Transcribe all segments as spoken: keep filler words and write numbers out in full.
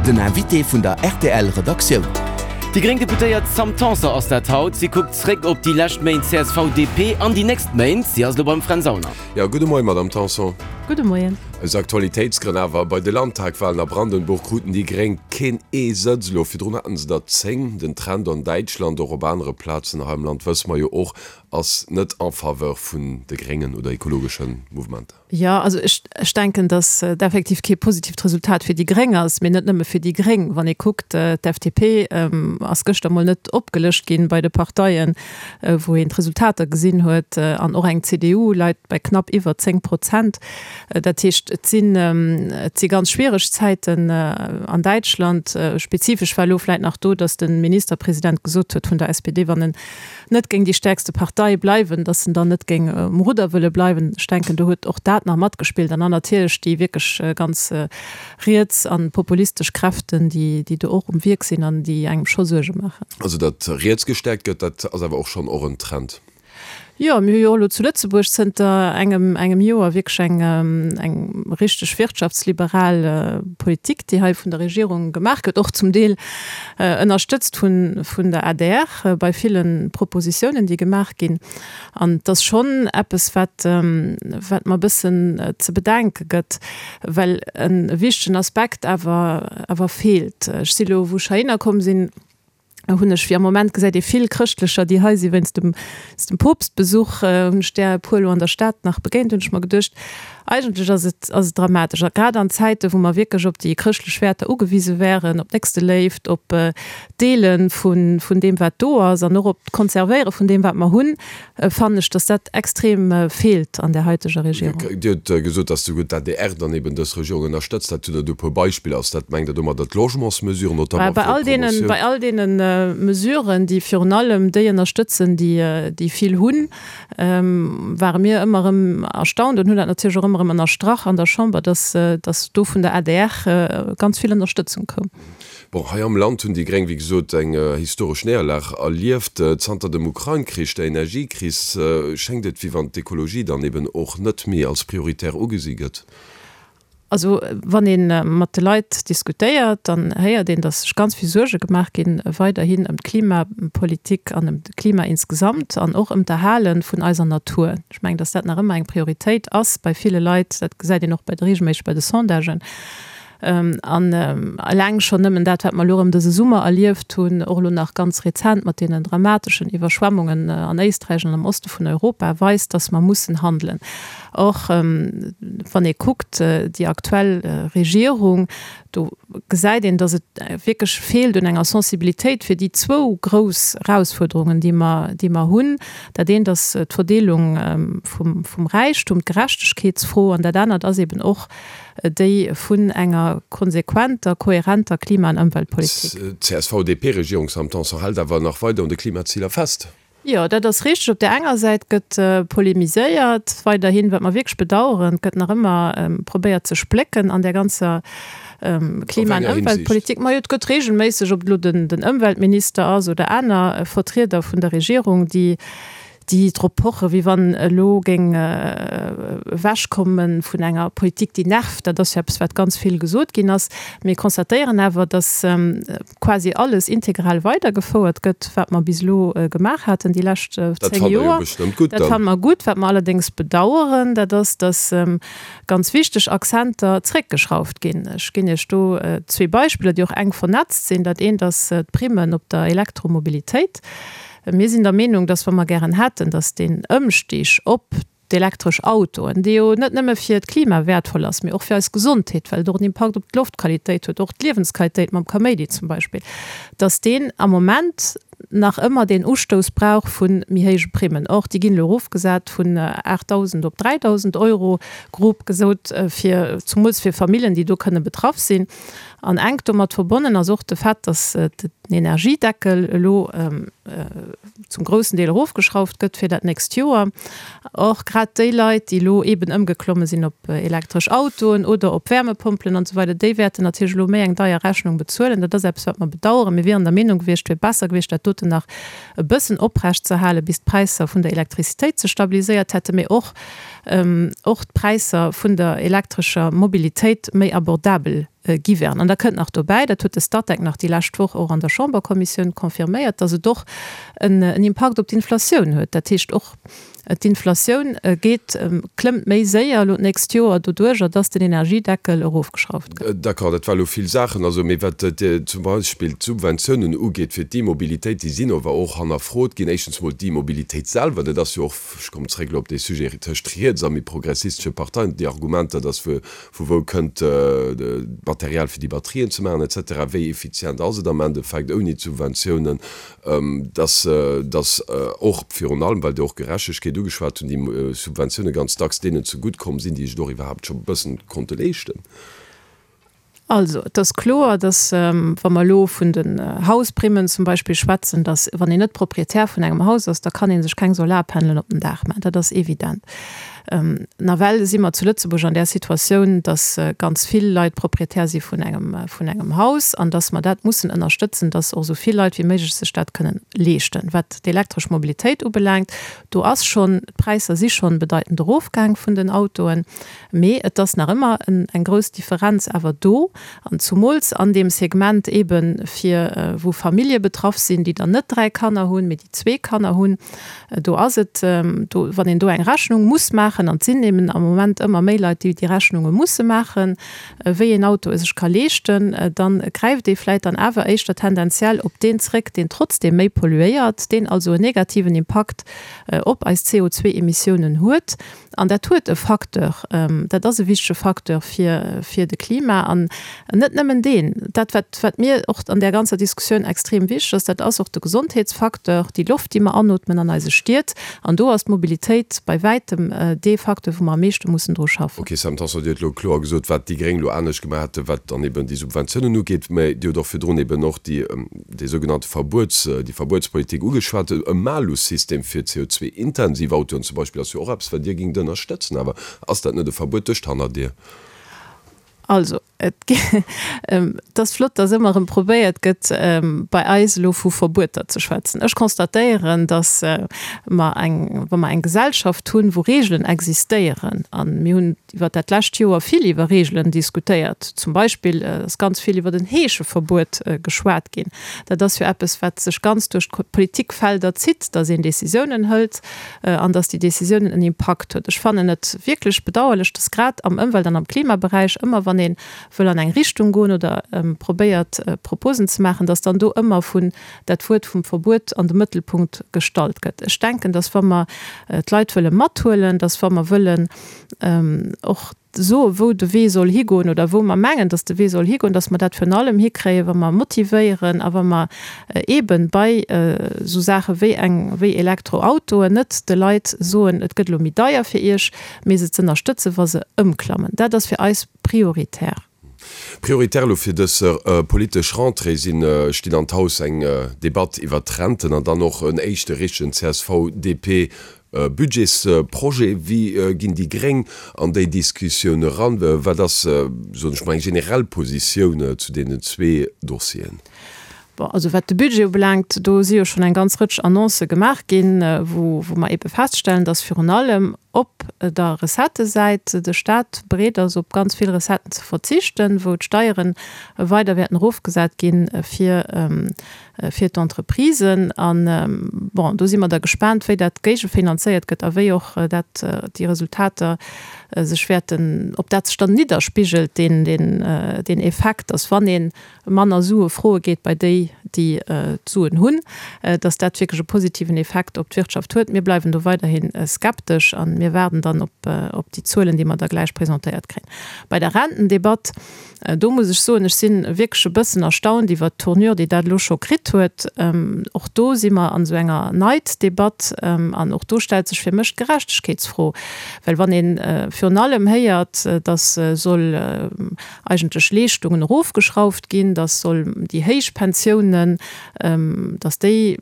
Den Invité vun der rtl Redaktioun. Déi gréng Deputéiert Sam Tanson ass dat haut. Si kuckt zréck op déi lescht Méint C S V D P an déi nächst Méint. Si ass elo beim Fränz Aulner. Jo, gudde Moien, Madamm Tanson. Gudde Moien. Aus Aktualitéitsgrënn awer, Bei de Landtagwalen a Brandenburg kruten déi Gréng keen ee Sëtz elo. Virdrun haten se der zéng. Den Trend an Däitschland, och op anere Plazen hei am Land, wësse mer jo och, ass net en faveur vun de Gréngen oder ekologesche Mouvementer. Jo, also ech, ech denken, datt et effektiv kee positiivt Resultat fir déi Gréng ass, mee net nëmme fir déi Gréng. Wann ee kuckt, d'F D P ass gëschter mol net opgelëscht ginn bei de Parteien, wou een d'Resultater gesinn huet, an och eng C D U leit bei knapp iwwer zéng Prozent. Dat heescht, et sinn, et si ganz schwiereg Zäiten an Däitschland. Spezifesch war elo vläicht nach do, datt de Ministerpresident gesot huet vun der S P D, wann en net géing déi stäerkste Partei bleiwen, datt en dann net géing um Rudder wëlle bleiwen. Ech denken, do huet och dat nach matgespillt. An dann natierlech déi wierklech ganz riets a populistesch Kräften, déi, déi do och um Wierk sinn an déi engem scho Suerge maachen. Also datt riets gestäerkt gëtt, dat ass awer och schonn och en Trend. Jo, mir hu jo och elo zu Lëtzebuerg zënter engem, engem Joer wierklech eng, eng richteg wirtschaftsliberal Politik, déi hei vun der Regierung gemaach gëtt, och zum Deel ënnerstëtzt vun, vun der A D R bei ville Propositiounen, déi gemaach ginn. An et ass schonn eppes, wat, wat mer e bëssen ze bedenke gëtt, well e wichtegen Aspekt awer, awer feelt. Ech si elo, wou ech heihinner komm sinn, hunn ech, wéi am Moment gesäit ee vill Chrëschtlecher, déi hei si wéinst dem, dem Poopstbesuch, hunn ech där e puer elo an der Stad nach begéint, hunn ech mer geduecht, eigentlech ass et, ass et dramatesch. A grad an Zäite wou mer wierklech op déi chrëschtlech Wäerter ugewise wären, op Nächsteléift, op d'Deele vun, vun deem wat do ass an och op d'Konservéiere vun deem wat mer hunn, fannen ech, datt dat extrem feelt an där haiteger Regierung. Dir hutt gesot, datt souguer d'A D R dann eben dës Regierung ënnerstëtzt. Dat hutt Der do e puer Beispiller. Ass dat, mengt Der domadder d'Logementsmesuren, notamment Bei fir all deenen, d'Promotioun? bei all deenen Mesuren, déi virun allem déi ënnerstëtzen, déi, déi vill hunn, ware mir ëmmer erëm erstaunt an hunn dat natierlech och ëmmer erëm ënnerstrach an der Chamber, dass, dass do vun der A D R ganz vill Ënnerstëtzung koum. Bon, hei am Land hunn déi Gréng, wéi gesot, eng historesch Néierlag erlieft. Zanter dem Ukrain-Krich, der Energiekris, schéngt et, wéi wann d'Ekologie dann eben och net méi als prioritär ugesi gëtt. Also wann ee mat de Leit diskutéiert, dann héiert een, datt sech ganz vill Suerge gemaach ginn weiderhin ëm d'Klimapolitik an ëm d'Klima insgesamt an och ëm d'Erhale vun eiser Natur. Ech mengen, datt dat nach ëmmer eng Prioritéit ass bei ville Leit. Dat gesäit een och bei de regelméisseg bei de Sondagen. An eleng schonn nëmmen dat, wat mer elo erëm dëse Summer erlieft hunn, och elo nach ganz rezent mat deenen dramateschen Iwwerschwemmungen an Éisträich an am Oste vun Europa, weist, datt mer mussen handelen. Och wann ee kuckt, déi aktuell Regierung, do gesäit een, datt et wierklech feelt un enger Sensibilitéit fir déi zwou grouss Erausfuerderungen, déi mer, déi mer hunn. Dat eent ass d'Verdeelung vum, vum Räichtum, d'Gerechtegkeetsfro, an dat anert ass eben och déi vun enger konsequenter, kohärenter Klima an Ëmweltpolitik. D'C S V D P-Regierung Sam Tanson hält awer nach weider un de Klimaziler fest. Jo, dat ass richteg. Op där enger Säit gëtt polemiséiert weiderhin, wat mer wierklech bedauern, et gëtt nach ëmmer probéiert ze splécken an där ganzer Op Klima an enger Hinsicht. Ëmweltpolitik. Majo, et gëtt regelméisseg, ob et elo den, den Ëmweltminister ass oder aner Vertrieder vun der Regierung, déi, déi drop pochen, wéi wann elo géing ewechkomme vun enger Politik, déi nervt. Dat ass jo eppes, wat ganz vill gesot ginn ass. Mir constatéieren awer, dass quasi alles integral weidergefouert gëtt, wat mer bis elo gemaach haten déi lescht Dat zéng fannt Der jo Joer. bestëmmt gutt Dat dann. fanne mer gutt. Wat mer allerdéngs bedauern, dat ass, dass ganz wichteg Akzenter zréckgeschrauft ginn. Ech ginn Iech do zwee Beispiller, déi och enk vernetzt sinn. Dat eent ass d'Primmen op der Elektromobilitéit. Mir sinn der Meenung, dass, wa mer gären hätten, dass deen Ëmstig op d'elektresch Autoen, dee jo net nëmme fir d'Klima wäertvoll ass, mee och fir eis Gesondheet, well et och en Impakt op d'Loftqualitéit huet, och d'Liewensqualitéit mam Kaméidi zum Beispill, dass deen am Moment nach ëmmer deen Ustouss brauch vu méi héije Primmen. Or, déi ginn elo erofgesat vun aachtdausend op dräidausend Euro, grob gesot, fir, zumools fir Familljen, déi do kënne betraff sinn. An enk domat verbonnen ass och de Fait, dass den Energiedeckel elo zum groussen Deel erofgeschrauft gëtt fir dat nächst Joer. Or, grad déi Leit, déi elo eeben ëmgeklomme sinn op elektresch Autoen oder op Wärmepompelen an esou weider, déi wäerten natierlech elo méi eng deier Rechnung bezuelen. Dat ass eppes, wat mer bedauern. Mir wieren der Meenung gewiescht, et wier besser gewiescht, dat doten nach e bëssen oprecht ze halen, bis d'Präisser vun der Elektrizitéit sech stabiliséiert hätten, mee och och d'Präisser vun der elektrescher Mobilitéit méi abordabel gi wären. An da kënnt nach dobäi, dat huet de Statec nach déi lescht Woch och an der Chamberkommissioun confirméiert, dass et och en Impakt op d'Inflatioun huet. Dat heescht, och d'Inflatioun geet, klëmmt méi séier elo d'nächst Joer doduerjer, dass den Energiedeckel erofgeschrauft gëtt. D'accord, dat war elo vill Saachen. Also, mee wat zum Beispill d'Subventiounen ugeet fir d'E-Mobilitéit, déi sinn ower och hannerfrot ginn. Éischtens mol d'E-Mobilitéit selwer, dat ass jo och, ech kommen zréck elo op dee Sujet, tëscht riets a méi progressistesche Parteien, déi Argumenter, dass vu wou kënnt d'Material fir déi Batterien ze maachen et cetera, wéi effizient ass et am Endeffekt ouni d'Subventiounen, dass, dass och virun allem, well Dir och Gerechtegkeet ugeschwat hunn, déi Subventioune ganz dacks deenen zegutt komm sinn, déi sech et och iwwerhaapt scho e bëssen konnte leeschten. Also, et ass kloer, dass, wa mer elo vun den Hausprimmen zum Beispill schwätzen, dass, wann een net Proprietär vun engem Haus ass, da kann ee sech keng Solarpanelen op den Daach maachen. Dat ass evident. Nawell si mer zu Lëtzebuerg an där Situatioun, dass ganz vill Leit Proprietär si vun engem, vun engem Haus an dass mer dat mussen ënnerstëtzen, dass och esou vill Leit wéi méiglech sech dat kënnen leeschten. Wat d'elektresch Mobilitéit ubelaangt, do ass schonn, d'Präisser si schonn bedeitend erofgaang vun den Autoen, mee et ass nach ëmmer eng grouss Differenz awer do an zumools an deem Segment eebe fir wou Famillje betraff sinn, déi dann net dräi Kanner hunn, mee déi zwee Kanner hunn. Do ass et, do, wann een do eng Rechnung muss maachen, an et sinn eben am Moment ëmmer méi Leit, déi déi Rechnunge musse maachen, wéi een Auto e sech ka leeschten, da gräift ee vläicht dann awer éischter tendenziell op deen zréck, deen trotzdeem méi polluéiert, deen also en negativen Impakt op eis C O zwee Emissiounen huet. An dat huet e Facteur, dat ass e wichtege Facteur fir, fir de Klima. An net nëmmen deen. Dat, wat, wat mir och an där ganzer Diskussioun extrem wichteg ass, dat ass och de Gesondheetsfacteur, déi Loft, déi mer anootmen an eise Stied. An do ass d'Mobilitéit bei wäitem dee Facteur, wou mer am meeschte mussen dru schaffen. Okay, Sam Tanson, Dir hutt elo kloer gesot, wat déi Gréng elo anescht gemaach hätten, wat dann eben déi Subventiounen ugeet. Mä Dir hutt och virdrun eben och déi, dee sougenannte Verbuets, déi Verbuetspolitik ugeschwat. E Malus-System fir C O zwei intensiv Autoen zum Beispill ass jo och eppes, wat Dir géingt ënnerstëtzen. Awer ass dat net e Verbuet duerch d'Hannerdier? Also, et ass flott, dass ëmmer erëm probéiert gëtt, bei eis elo vu Verbueter ze schwätzen. Ech constatéieren, dass mer eng, wa mer eng Gesellschaft hunn, wou Regeln existéieren, a mir hunn iwwer dat lescht Joer vill iwwer Regeln diskutéiert, zum Beispill ass ganz vill iwwer den Heescheverbuet geschwat ginn. Dat ass jo eppes, wat sech ganz duerch d'Politikfelder zitt, dass een Décisiounen hëlt an dass déi Décisiounen en Impakt huet. Ech fannen et wierklech bedauerlech, dass grad am Ëmwelt an am Klimaberäich ëmmer, wann een wëll an eng Richtung goen oder probéiert Proposen ze maachen, dass dann do ëmmer vun dat Wuert vum Verbuet an de Mëttelpunkt gestallt gëtt. Ech denken, dass wa mer d'Leit wëlle mathuelen, dass wa mer wëllen och soe wou de Wee soll higoen oder wou mer mengen, dass de Wee soll higoen, dass mer dat virun allem hikréien, wa mer motivéieren a wa mer eeben bei esou Saache wéi eng, wéi Elektroautoen net de Leit soen, et gëtt elo méi deier fir iech, mee se z'ënnerstëtzen, wa se ëmklammen. Dat ass fir eis prioritär. Prioritär elo fir dës politesch Rentrée sinn, stinn an d'Haus eng Debatt iwwert d'Renten an dann och en éischte richtegen C S V D P Budgetsprojet. Wéi ginn déi Gréng an déi Diskussioun eran? Wat ass, soen ech mol, eng generell Positioun zu deenen zwee Dossieren? Bon, also wat de Budget ubelaangt, do si jo schonn eng ganz Rëtsch Annoncë gemaach ginn, wou wou mer eebe feststellen, dass virun allem op der Recettësäit de Stat bereet ass, op ganz vill Recetten ze verzichten, wou d'Steiere weider wäerten erofgesat gi fir fir d'Entreprisen. An, bon, do si mer da gespaant, wéi dat géigefinanzéiert gëtt a wéi och dat déi Resultater sech wäerten, ob dat sech dann nidderspigelt, deen deen deen Effekt, dass wann ee manner Sue froe geet bei déi, déi d'Suen hunn, dass dat wierklech e positiven Effekt op d'Wirtschaft huet. Mir bleiwen do weiderhi skeptesch a mir waarden dann op op déi Zuelen, déi mer da gläich presentéiert kréien. Bei der Rentendebatt, do muss ech soen, ech si wierklech e bëssen erstaunt iwwert d'Tournure, déi dat elo scho kritt huet. Och do si mer an esou enger Neiddebatt an och do stellt sech fir mech d'Gerechtegkeetsfro. Well wann ee virun allem héiert, dass soll eigentlech Leeschtungen erofgeschrauft ginn, dass soll déi héich Pensiounen, dass déi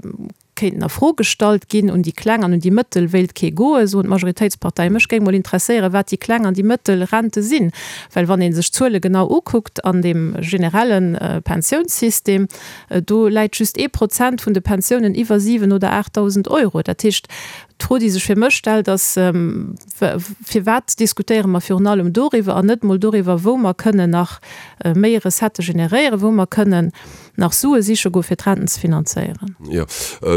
kéinten a Fro gestallt ginn, un déi kleng an un déi mëttel wéilt kee goen, soen d'Majoritéitsparteien. Mech géing mol interesséieren, wat déi kleng an déi mëttel Rente sinn. Well wann ee sech d'Zuele genau ukuckt an deem generelle Pensiounssystem, do läit just ee Prozent vun de Pensiounen iwwer siwen oder aachtdausend Euro. Dat heescht, D'Fro, déi sech fir mech stellt, ass, Firwat diskutéiere mer virun allem doriwwer an net mol doriwwer, wou mer kënnen nach méi Recettë generéieren, wou mer kënnen nach Sue siche goe fir d'Renten ze finanzéieren? Jo,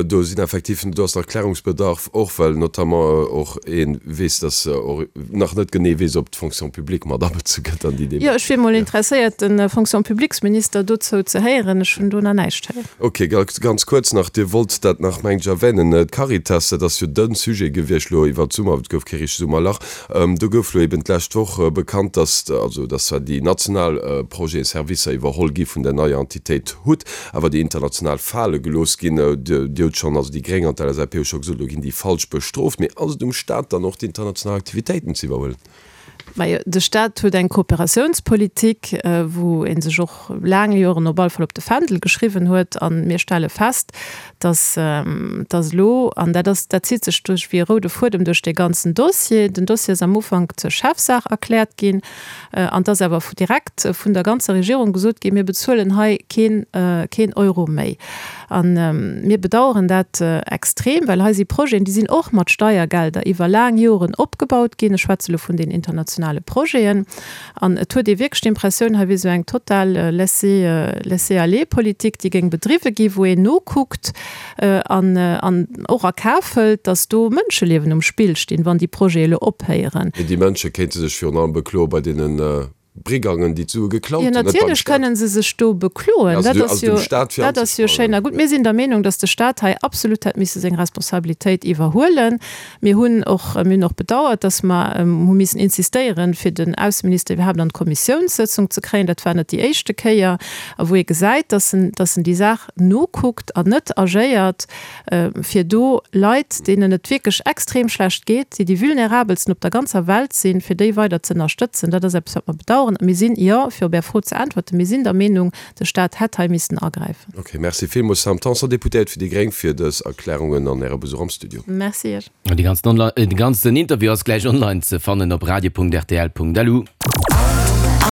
do sinn effektiv, do ass nach Klärungsbedarf, och well notamment och ee weess, dass och nach net genee weess, ob d'Fonction publique mat abezu gëtt an déi Demarche. Jo, ech wier mol interesséiert, de Fonction-publiques-Minister dozou ze héieren. Ech hunn do nach näischt héieren. Ok, ganz kuerz nach, Dir wollt dat nach, mengt ech, erwänen, d'Caritas, dat ass jo de Sujet gewiescht elo iwwert d'Summer, et gouf kee richtegt Summerlach, do gouf elo eben d'lescht Woch bekannt, dass, also dass zwar déi national Projeten, Servicer iwwerholl gi vun der neier Entitéit hut, awer déi international fale gelooss ginn. Dir hutt schonn, also déi Gréng an d'LSAP hu scho gesot, elo ginn déi falsch bestrooft. Mee ass et um Staat dann och d'international Aktivitéiten ze iwwerhuelen? Majo, de Staat huet eng Kooperatiounspolitik, wou ee sech och laang Joren op alle Fall op de Fändel geschriwwen huet. A mir stelle fest, dass, dass elo, an dat ass, dat zitt sech duerch wéi e roude Fuedem duerch dee ganzen Dossier, den Dossier ass am Ufank zur Chefsaach erkläert ginn, an et ass awer direkt vun der ganzer Regierung gesot ginn, mir bezuelen hei keen, keen Euro méi. A mir bedauern dat extrem, well hei si Projeten, déi sinn och mat Steiergelder iwwer laang Joren opgebaut ginn, ech schwätze elo vun den internationale Projeten, an et huet ee wierklech d'Impressioun, hei wier esou eng total Laisser-aller-Politik, déi géing bedriwwe ginn, wou een nokuckt an och a Kaf hëlt, datt do Mënscheliewen um Spill stinn, wann déi Projete elo ophéieren. Mee déi Mënsche kéinte sech virun allem bekloe bei deene Brigangen, déi d'Sue geklaut hunn, net beim Staat. Jo, natierlech kënnen se sech do bekloen. Dat ass jo, dat ass jo schéin a gutt. Mir sinn der Meenung, datt de Staat hei absolut hätt misse seng Responsabilitéit iwwerhuelen. Mir hunn och, mir hunn och bedauert, datt mer hu missen insistéieren, fir den Ausseminister iwwerhaapt an d'Kommissiounssëtzung ze kréien. Dat war net déi éischte Kéier, a wou ee gesäit, datt en, datt en déi Saach nokuckt an net agéiert, fir do Leit, deenen et wierklech extrem schlecht geet, déi déi vulnerabelsten op der ganzer Welt sinn, fir déi weider ze ënnerstëtzen. Dat ass eppes, wat mer bedauern. A mir sinn, jo, fir op Är Fro ze äntwerten, mir sinn der Meenung, de Stat hätt hei missen agräifen. Ok, merci villmools, Sam Tanson, Deputéiert fir déi gréng, fir dës Erklärungen an Äre Besuch am Studio. Merci Iech. De ganzen Interview ass gläich online ze fannen op radio punkt rtl punkt lu.